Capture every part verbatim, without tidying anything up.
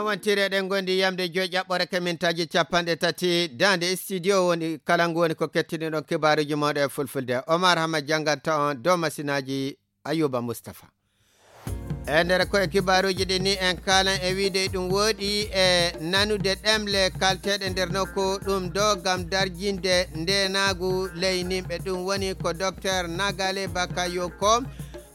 Wontireɗen gondi yamde joyi ƴaɓɓore ka mintaaji capanɗe tati daande studio woni kala ngu woni ko kettiniɗon kibaaruji mawɗe e fulfulde. Omar Hama jannganta on dow masinaaji Ayuba Mustafa. E nder koye kibaaruji ɗi ni en kaalan e wiide ɗum wooɗi e nanude ɗemle kalteɗe nder nokku ɗum ɗo ngam darjinde ndenaagu ley nimɓe. Ɗum woni ko Docteur Nagale Bakayoko,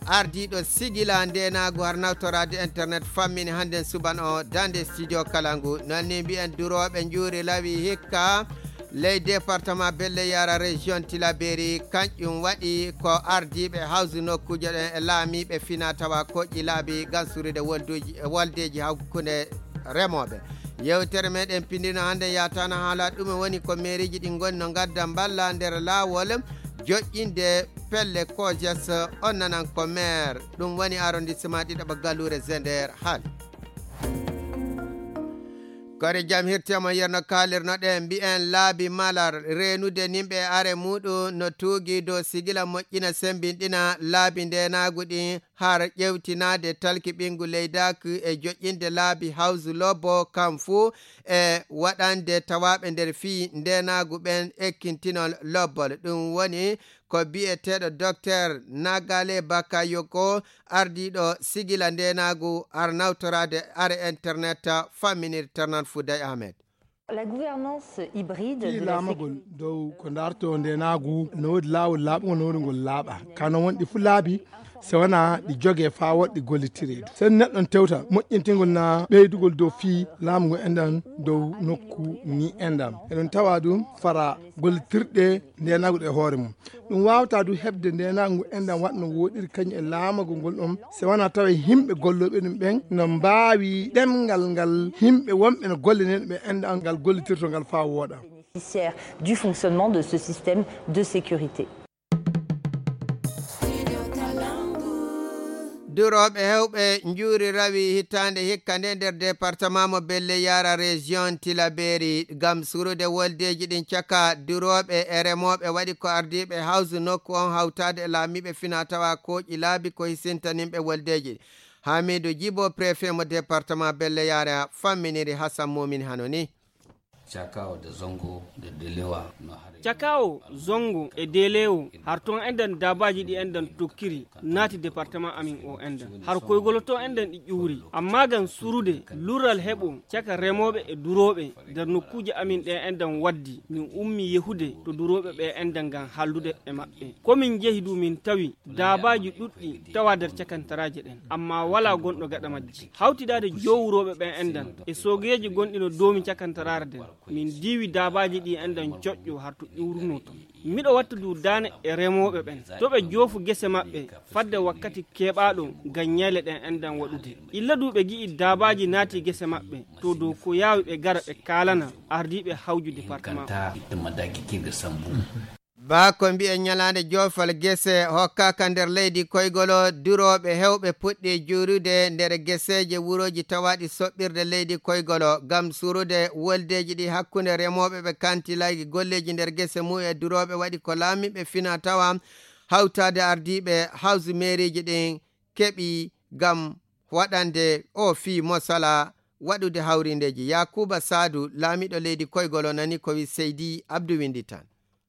ardiiɗo sigila ndenaagu har nawtoraade internet, fammini hannden suban o daande studio kala ngu. Noon ni mbiyen durooɓe njuuri lawi hikka ley département Belle Yara, région Tilaberi, kanƴum waɗi ko ardiiɓe hawsu nokkuuje ɗen e laamiiɓe fina tawa koƴƴi laabi gansurude wolduji, woldeji hakkunde remooɓe. Yewtere meɗen pindino hannde yataano haala ɗum woni ko meeriji ɗi ngoni no ngadda mballa nder laawol joƴƴinde pelle kojes. On nanan ko maire, ɗum woni arrondissement ɗiɗaɓa Galluure Zender haali. Kori jam hirtemo yerno kaalirnoɗen mbi'en laabi malar reenude nimɓe e are muɗum no tuugi dow sigila moƴƴina sembinɗina laabi ndenaagu ɗin har ƴewtinaade talki ɓinngu leydaaki e joƴƴinde laabi hawsu lobbo kam fuu e waɗande tawaaɓe nder fii ndenaagu ɓen ekkintinol lobbol. Ɗum woni ko biyeteeɗo Docteur Nagale Bakayoko, ardiiɗo sigila ndenaagu ar nawtoraade are internet famminir Ternan Fouday Ahmed. La gouvernance hybride fii de la laamagol dow ko ndarto ndenaagu no woodi laawol laaɓungol no woodi ngol laaɓa kano wonɗi fuu laabi so wonaa ɗi jogee faa woɗɗi gollitireedu sen neɗɗon tewta moƴƴintingol na ɓeydugol dow fii laamu ngu enɗan dow nokku ni enɗan eɗon tawa ɗum fara gollitirɗe ndenaagu ɗe hoore mum. Ɗum waawata du heɓde ndenaagu ngu enɗan waɗno wooɗiri kañum e laamagol ngol ɗon so wonaa tawa yimɓe gollooɓe ɗum ɓen no mbaawi ɗemngal ngal yimɓe wonɓe no golle nen ɓe enɗan ngal gollitirto ngal faa wooɗa. Bénéficiaire du fonctionnement de ce système de sécurité. Durooɓe hewɓe njuuri rawi hitaande hikka nde nder département mo Belle Yara région Tilaberi ngam surude woldeeji ɗin caka durooɓe e remooɓe waɗi ko ardiiɓe hawsu nokku on hawtaade e laamiiɓe fina tawa kooƴi laabi ko hisintaninɓe woldeeji. Hamidu Jibo, préfet mo département Belle Yara, famminiri Hassan Mumin hano ni. Cakawo de Zongo de Delewa no hare. Cakawo, Zongo e Delewo, har toon enɗan daabaaji ɗi enɗan tokkiri, naati département amin o enɗan. Har koygolo toon enɗan ɗi ƴuuri. Amma ngam surude, lurral heɓo, caka remooɓe e durooɓe, nder nokkuuje amin ɗe enɗan waddi, min ummi yehude to durooɓe ɓe enɗan ngam hallude e maɓɓe. Ko min njehi du min tawi daabaaji ɗuɗɗi tawa nder cakantaraaje ɗen, amma walaa gonɗo gaɗa majji. Hawtidaade jowurooɓe ɓen enɗan e soogeeji gonɗi no doomi cakantaraare nden, min diiwi daabaaji ɗi enɗan coƴƴo har to ƴuurunoo ton. Miɗo watta du daane e remooɓe ɓen, to ɓe joofu gese maɓɓe fadde wakkati keɓaaɗo ngam ñayle ɗen enɗan waɗude. Illa du ɓe gi'i daabaaji naati gese maɓɓe, to dow ko yaawi ɓe gara ɓe kaalana ardiiɓe hawju département. Baa ko mbi'en ñalaande joofal gese hokkaaka nder leydi koygolo, durooɓe hewɓe puɗɗi juurude nder geseeje wurooji tawaaɗi soɓɓirde leydi koygolo ngam surude woldeeji ɗi hakkunde remooɓe ɓe kanti laygi golleeji nder gese mum e durooɓe waɗi ko laamiiɓe fina tawa hawtaade ardiiɓe hawsu meeriiji ɗin keɓi ngam waɗande o fii mosala waɗude hawrindeeji. Yakuba Saadu, laamiiɗo leydi koygolo nani ko wi Seydi Abdu Winndi tan.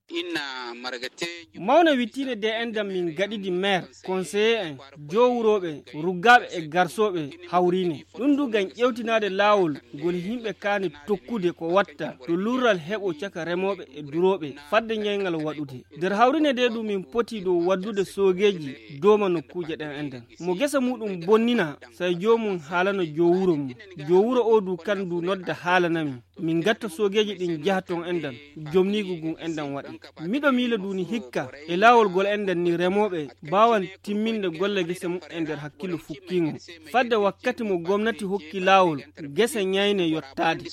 Inna margateejo. Mawna wittiinde de enɗan min gaɗidi maire, conseiller en, jowurooɓe, ruggaaɓe e garsooɓe hawriine. Ɗum du ngam ƴewtinaade laawol ngol yimɓe kaani tokkude ko watta to lurral heɓo caka remooɓe e durooɓe fadde ñayngal waɗude. Nder hawriine de ɗum min poti dow waddude soogeeji dooma nokkuuje ɗen enɗan. Mo gesa muɗum bonnina, say joomum haalano jowuro mum. Jowuro o du kan du nodda haalana min. Min gatta soogeeji ɗin jaha ton enɗan, jomniigu ngun enɗan waɗi. Miɗo miila duuni hikka, e laawol gol enɗan ni remooɓe baawan timminde golle gese muɓɓen nder hakkillo fukkiingo. Fadde wakkati mo gomnati hokki laawol, gese ñayne yottaade.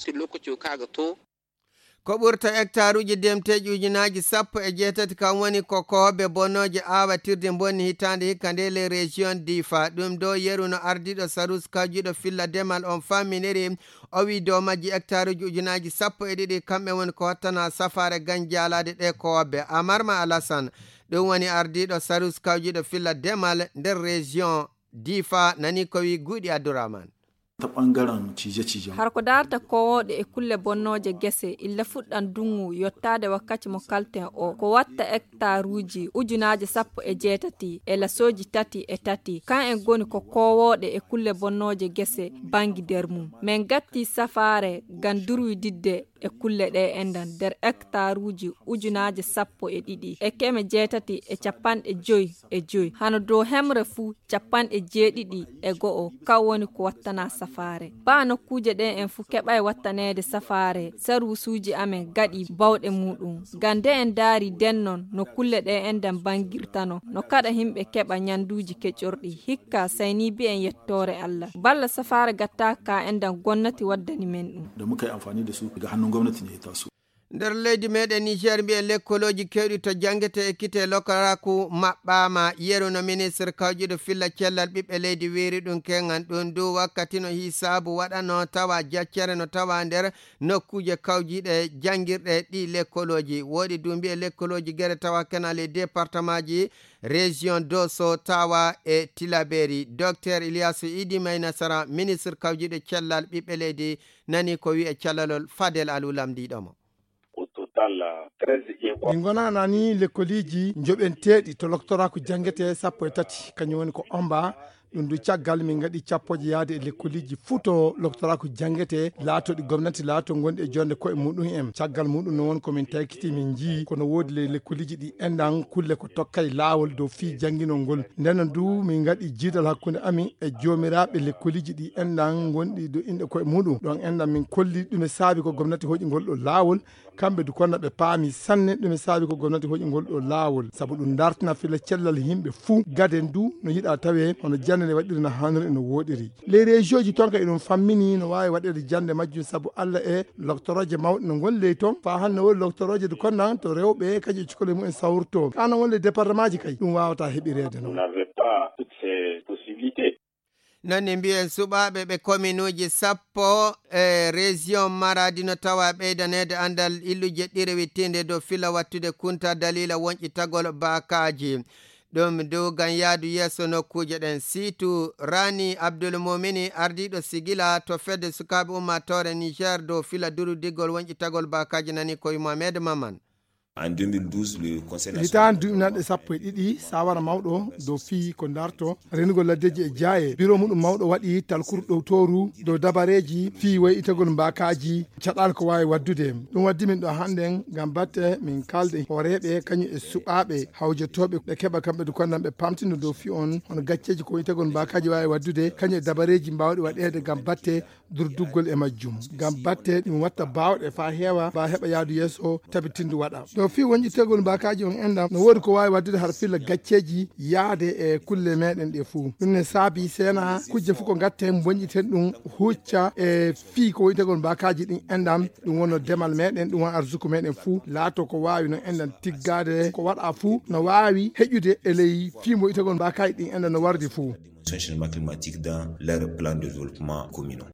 Ko ɓurta hectaruuji demteeji ujunaaji sappo e jeetati kam woni ko koobe bonnooje aawatirde bonni hitaande hikka nde le région Difa. Ɗum ɗo yeru no ardiiɗo Sarus kawjiiɗo filla demal on famminiri. O wi dow majji hectaruuji ujunaaji sappo e ɗiɗi kamɓe woni ko hottana safaare ganjaalaade ɗe koobe. Amarma Alasan, ɗum woni ardiiɗo Sarus kawjiiɗo filla demal nder région Difa, nani ko wi Guuɗi Abdourahmane. Ta ɓangaren cije-cijen. Har ko daarta kowooɗe e kulle bonnooje gese, illa fuɗɗan duŋŋu yottaade wakkati mo kalten o, ko watta hektaruuji ujunaaje sappo e jeetati e lasooji tati e tati. Kan en goni ko kowooɗe e kulle bonnooje gese banngi nder mum. Men gatti safaare ngam durwididde e kulle ɗe enɗan nder hektaruuji ujunaaje sappo e ɗiɗi e keme jeetati e capanɗe joy e joy. Hano dow hemre fuu capanɗe jeeɗiɗi e go'o, kan woni ko wattana safaare. Baa nokkuuje ɗe en fuu keɓay wattaneede safaare, sarwusuuji amen gaɗi bawɗe muuɗum. Ngam nde en ndaari den non no kulle ɗe enɗan banngirtano, no kaɗa himɓe keɓa nyanduuji keƴorɗi. Hikka, say ni mbi'en yettoore Allah. Balla safaare gattaaka ka enɗan gomnati waddani men ɗum. Da muka yi amfani da su, daga hannun gwamnati ne ya taso. Nder leydi meɗen Niger, mbi'en lekkolooji keewɗi to janngete e kite lokoraaku maɓɓaama. Yeru no ministre kawjiɗo filla cellal ɓiɓɓe leydi wiiri ɗum keŋan ɗum du wakkati no hisaabu waɗano tawa jaccere no tawa nder nokkuuje kawjiiɗe janngirɗe ɗi lekkolooji. Woɗi du mbi'e lekkolooji gere tawa kenan e départementji, région Dosso, Tawa e Tillabéri. Docteur Ilyasu Idi May Nasara, ministre kawjiiɗo cellal ɓiɓɓe leydi, nani ko wi'e callalol Fadel Alu lamndiiɗo mo. Au total, treize écoles. Min ngonana ni lekkoliiji njoɓenteeɗi to loktoraaku janngete sappo e tati, kañum woni ko omba. Ɗum du caggal min ngaɗi cappooje yahde e lekkoliiji fuu to loktoraaku janngete laatooɗi gomnati, laatoo gonɗi e joɗnde koye muɗum en. Caggal muɗum noon won ko min taykiti, min njii kono woodi le-, lekkoliiji ɗi enɗan kulle ko tokkay laawol dow fii jannginol ngol. Ndeen noon du min ngaɗi jiidal hakkunde amin e joomiraaɓe lekkoliiji ɗi enɗan gonɗi dow inɗe koye muɗum. Ɗoon enɗan min kolli ɗume saabi ko gomnati hoƴi ngol ɗo laawol. Kamɓe du kono ɓe paami sanne ɗume saabi ko gomnati hoƴi ngol ɗo laawol, sabu ɗum dartina filla cellal yimɓe fuu. Gaden du no yiɗa tawe hono jannde nde waɗiri no haaniri e no wooɗiri. Les régions toon kay ɗum fammini no waawi waɗeede jannde majjum, sabu Alla e loktorooje mawɗe no ngoni ley toon. Faa hannde woni loktorooje du konnan to rewɓe kañum e cukalel mumen sawrto. Kaa no woni les départementji kay ɗum waawata heɓireede noon. Vous n'avez pas toutes ces possibilités. Noon ne mbiyen suɓaaɓe ɓe kominuuji sappo e région Maradi no tawa ɓeydaneede anndal illuuje ɗiɗi wittiinde dow fila wattude kunta daliila wonƴitagol baakaaji. Ɗum du ngam yahdu yeeso nokkuuje ɗen. Siitu Rani Abdul Mumini, ardiiɗo sigila to fedde sukaaɓe ummaatoore Niger dow fila durudigol wonƴitagol baakaaji, nani koye Mohamed Maman. En deux mille douze, le Conseil national. Hitaande duuɓi nanɗe sappo e ɗiɗi, saawara mawɗo dow fii ko darto renugol laddeeji e jaaye, biro muɗum mawɗo waɗi talkuru ɗowtooru dow dabareeji fii woyitagol mbaakaaji, caɗaal ko waawi waɗdude. Ɗum waddi min ɗo hannden ngam batte min kaalda e hooreeɓe kañum e suɓaaɓe hawjotooɓe, ɓe keɓa kamɓe du konnan ɓe pamtino dow fii on hono gacceeji ko woyitagol mbaakaaji waawi waɗdude, kañum e dabareeji mbaawɗi waɗeede ngam batte durduggol e majjum. Ngam batte ɗum watta baawɗe faa heewa, faa heɓa yahdu yeeso tabitindu waɗa. Dow fii wonƴitegol mbaakaaji on enɗam, no woodi ko waawi waɗdude har filla gacceeji yahde e kulle meɗen ɗe fuu. Ɗum ne saabi seena kujje fuu ko ngatten, wonƴiten ɗum hucca e fii ko wonƴitegol mbaakaaji ɗin enɗam. Ɗum wonno demal meɗen, ɗum won arsuku meɗen fuu, laato ko waawi no enɗam tiggaade, ko waɗa fuu no waawi heƴude e ley fii mo wonƴitegol mbaakaaji ɗin enɗam no wardi fuu. Changement climatique dans leur plan de développement communal.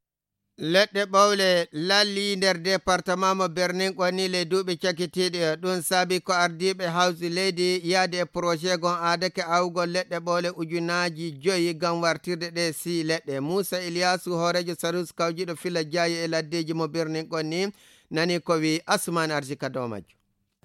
Leɗɗe ɓowle lallii nder departement mo Birnin Kwanni ley duuɓi cakitiiɗi. Ɗum saabi ko ardiiɓe hawsi leydi yahde e projet gon aadake awgol leɗɗe ɓowle ujunaaji joyi ngam wartirde ɗe sii leɗɗe. Muusa Iliyaasu, hooreejo Sarus kawjiiɗo fila jaayi e laddeeji mo Birnin Kwanni, nani ko wi Asumaan Arsika dow majjo.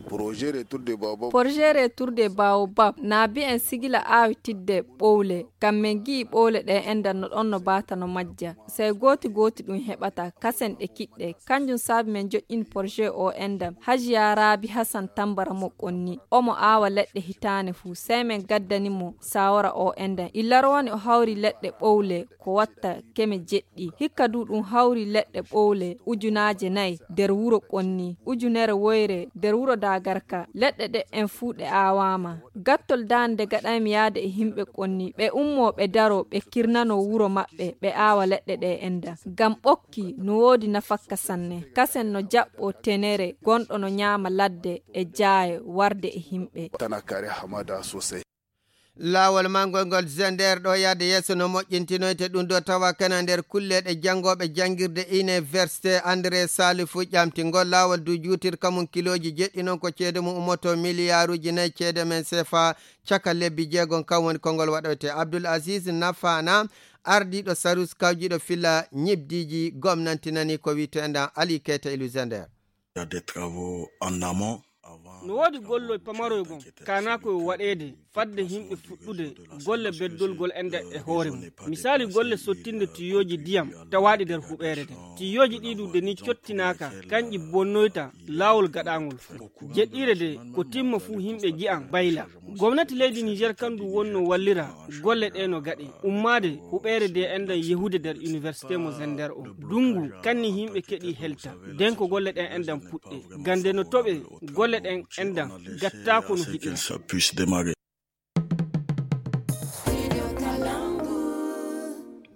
Projet Retour de Baobab. Projet Retour de Baobab na mbiyen sigila aawitidde ɓowle. Ngam men ngi'i ɓowle ɗe enɗan no ɗon no baata no majja. Sey gooti gooti ɗum heɓata kasen ɗe kiɗɗe. Kanjum saabi men joƴƴini projet o enɗan. Hajiya Raabi Hasan Tambara mo Kwanni. Omo aawa leɗɗe hitaane fuu. Sey men gaddani mo saawara o enɗan. Illar woni o hawri leɗɗe ɓowle ko watta keme jeɗɗi. Hikka du ɗum hawri leɗɗe ɓowle ujunaaje nayi nder wuro Kwanni, ujunere woyre nder wuro Dagarka. Leɗɗe ɗe en fuu ɗe aawaama. Gattol daande gaɗaymi yahde e yimɓe Kwanni, ɓe ummoo ɓe daroo, ɓe kirnanoo wuro maɓɓe, ɓe aawa leɗɗe ɗe enɗan. Ngam ɓokki no woodi nafakka sanne. Kasen no jaɓɓoo tenere gonɗo no nyaama ladde e jaaye warde e yimɓe. Tana kare hamada sosai. Laawol mangol ngol Zender ɗo yahde yeeso no moƴƴintinoyte ɗum ɗo tawa kana nder kulleeɗe janngooɓe janngirde Université André Salifu ƴamtingol. Laawol du juutirka mum kilooji jeɗɗi, noon ko ceede mum ummoto miliyaaruuji nayi ceede men sefa caka lebbi jeegom. Kam woni konngol waɗoyte Abdul Aziz Nafana, Ardiiɗo sarus kawjiiɗo filla ñibdiiji gomnanti nani ko wiyeteendan Ali Keita Iluzender. No woodi gollooy pamaroy gon kaanaa ko yo waɗeede fadde yimɓe fuɗɗude golle beddolgol enɗan e hoore mum. Misaali golle sottinde tuyooji diyam tawaaɗi nder huɓeere nden. Tuyooji ɗii ɗuuɗe nii cottinaaka, kanƴi bonnoyta laawol gaɗaangol fuu. Jeɗɗiire de ko timma fuu yimɓe ji'an bayla. Gomnati leydi Niijeer kan du wonnoo wallira golle ɗee no gaɗee. Ummaade huɓeere de enɗan yehude nder iniwersite mo Zender o. Dunngu kanni yimɓe keɗii helta. Den ko golle ɗen enɗan puɗɗee. Gande no toɓee golle ɗen enɗan gattaako no hiɗiri.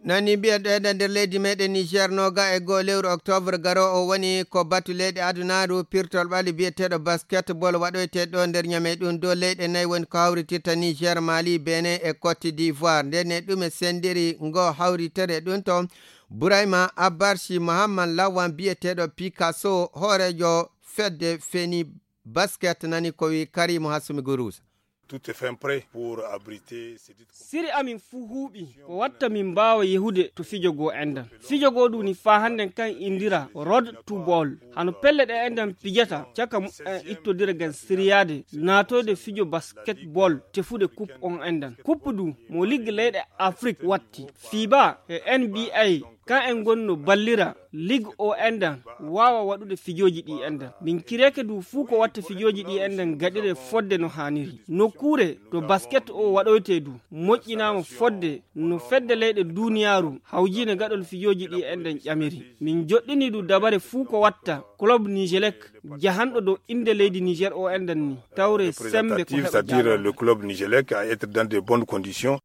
Nani mbiyen ɗo eɗen nder leydi meɗen Niger noga e goo lewru octobre garo o woni ko batu leyɗe adunaru pirtol ɓali biyeteɗo basketball waɗoyte ɗo nder ñame ɗum dow leyɗe nayi woni ko hawritirta Niger, Mali, Benin e Cote d'Ivoire. Nden e ɗum e sendiri ngo hawritere ɗum to Burayma Abarshi Mohammad Lawan biyeteɗo Picasso hoorejo fedde feni basket nani ko wi Karimu Hasumi Gurusa. Tout est fin prêt pour abriter ces dites Siri amin fuu huuɓi ko watta min mbaawa yehude to fijo goo enɗan. Fijo goo ɗum ni faa hannden kan indira Road to Ball. Hano pelle ɗe enɗan pijata caka muɓɓen ittodira ngam siriyaade naatoyde fijo basketball tefude kup on enɗan. Kup du mo liggi leyɗe Afrik watti. Fiba e N B A kan en ngonno ballira lig o enɗan waawa waɗude fijooji ɗi enɗan. Min kireke du fuu ko watta fijooji ɗi enɗan gaɗire fodde no haaniri. Nokkuure to basket o waɗoyte du moƴƴinaama fodde no fedde leyɗe duuniyaaru hawjiine gaɗol fijooji ɗi enɗan ƴamiri. Min joɗɗini du dabare fuu ko watta club Nigelec jahanɗo dow innde leydi Niger o enɗan ni tawre sembe ko c'est-à-dire le club Nigelec à être dans de bonnes conditions.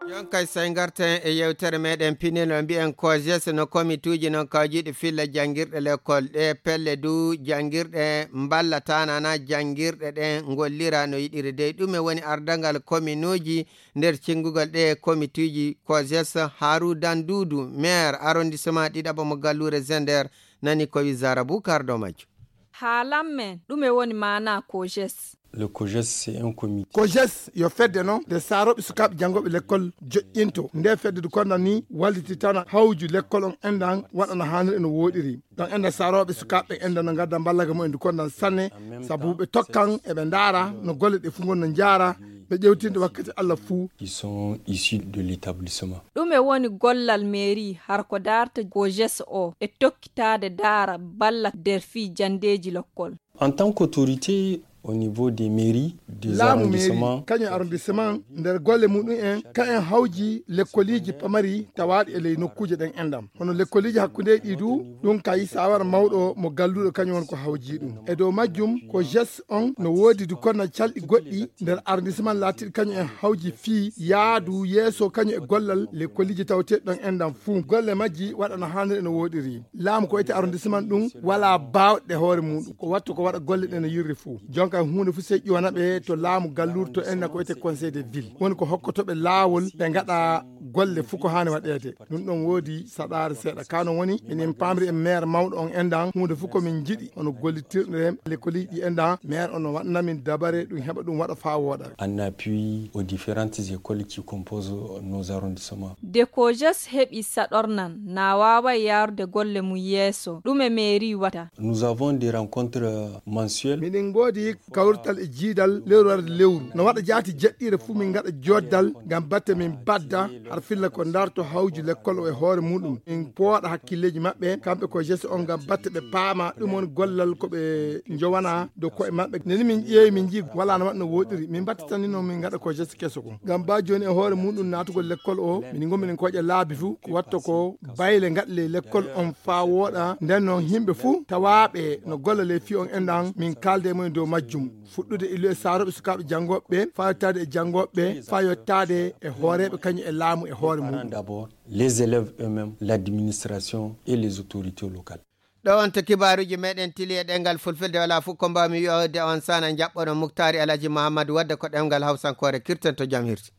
Jon kay say ngarten e yewtere meɗen pinel o mbiyen kojes no komituuji non kawjiiɗi filla janngirɗe lekkol ɗe pelle du janngirɗe mballata nana janngirɗe ɗen ngollira no yiɗiri dey ɗume woni ardangal kominuuji nder cinngugol ɗe komituuji kojes. Haru dandudu maire arrondissement ɗiɗaɓo mo galluure zender nani ko wi zara bukar ɗo majjo. Haalan men ɗume woni maanaa kojes? Le kojes c'est un comité. Kojes yo fedde non nde saarooɓe sukaaɓe janngooɓe lekkol joƴƴinto nde fedde du konda ni wallititana hawju lekkol on enɗan waɗana haaniri no wooɗiri. Ɗon enɗan saarooɓe sukaaɓe enɗan no ngadda mballaga mumen du kondan sanne sabu ɓe tokkan eɓe ndaara no golle ɗe fuu ngon no njaara ɓe ƴewtinde wakkati Allah fuu. Ils sont issus de l'établissement. Ɗume woni gollal mairie har ko daarta kojes o e tokkitaade daara balla nder fii janndeeji lokkol? En tant qu'autorité au niveau des mairies, des laamu arrondissements, mairie kañum arrondissement nder golle muɗum en ka en hawji lekkoliiji pamari tawaaɗi e ley nokkuuje ɗen enɗam hono lekkoliiji hakkundeeji ɗi du. Ɗum kay sawara mawɗo mo galluɗo kañum won ko hawji ɗum e dow majjum ko jes on no woodi du konna calɗi goɗɗi nder arrondissement laatiɗi kañum en hawji fii yaadu yeeso kañum e gollal lekkoliiji tawateeɗi ɗon enɗam fuu golle majji waɗa no haaniri e no wooɗiri. Laamu ko wiyetee arrondissement ɗum walaa baawɗe hoore muɗum ko wattu ko waɗa golle ɗe no yirri fuu. Jonka huunde fuu sey ƴuwana ɓe to laamu gallurto en na ko wiyetee conseil de ville woni ko hokkoto ɓe laawol ɓe ngaɗa golle fuu ko haani waɗeede. Ɗum ɗon woodi saɗaare seeɗa ka non woni minen pamri e maire mawɗo on enɗan huunde fuu ko min njiɗi hono gollitirɗe lekkoliiji ɗi enɗan maire on no waɗana min dabare ɗum heɓa ɗum waɗa faa wooɗa. En appui aux différentes écoles qui composent nos arrondissements. De kojes heɓi saɗornan na waaway yaarude golle mum yeeso ɗume mairie wata? Nous avons des rencontres mensuelles. Miɗen ngoodi kawrital e jiidal lewru warde lewru no waɗa jaati jeɗɗiire fuu min ngaɗa joddal ngam batte min badda har filla ko ndarto hawju lekkol o e hoore muɗum min pooɗa hakkilleeji maɓɓe kamɓe ko geste on ngam batte ɓe paama ɗum woni gollal ko ɓe njowana dow koye maɓɓe neni min ƴeewi min njii wala no waɗno woɗiri min mbattitanino min ngaɗa ko geste keso kon ngam ba joni e hoore muɗum naatugol lekkol o min ngo minen koƴa laabi fuu ko watta ko bayle ngaɗle lekkol on faa wooɗa nden noon yimɓe fuu tawaaɓe no golla ley fii on enɗan min kaalde e mumen dow majjum fuɗɗude illu e saarooɓe sukaaɓe janngooɓe ɓe faa yottaade e janngooɓe ɓe faa yottaade e hooreeɓe kañum e laamu e hoore muɗum. D'abord les élèves eux-mêmes, l'administration et les autorités locales. Ɗo on to kibaaruuji meɗen tili e ɗengal fulfilde wala fof ko mbawmi wi'ode on sana jaɓɓono Muktaari Alhaji Muhammadu wadde ko ɗemngal hawsankoore kirten to jam hirti.